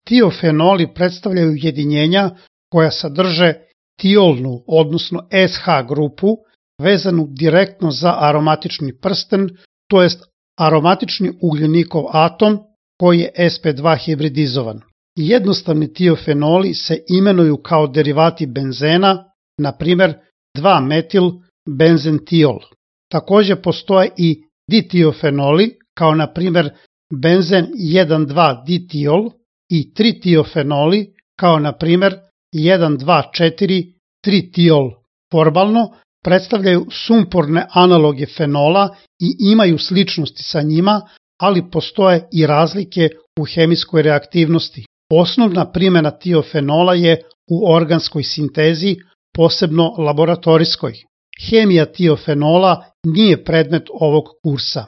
Tiofenoli predstavljaju ujedinjenja koja sadrže tiolnu, odnosno SH grupu, vezanu direktno za aromatični prsten, to jest aromatični ugljenikov atom koji je sp2 hibridizovan. Jednostavni tiofenoli se imenuju kao derivati benzena, na primjer 2-metil benzentiol. Također postoje i ditiofenoli, kao na primjer benzen 1,2-ditiol i 3-tiofenoli, kao na primjer 1,2,4-3-tiol. Formalno predstavljaju sumporne analoge fenola i imaju sličnosti sa njima, ali postoje i razlike u hemijskoj reaktivnosti. Osnovna primjena tiofenola je u organskoj sintezi, posebno laboratorijskoj. Hemija tiofenola nije predmet ovog kursa.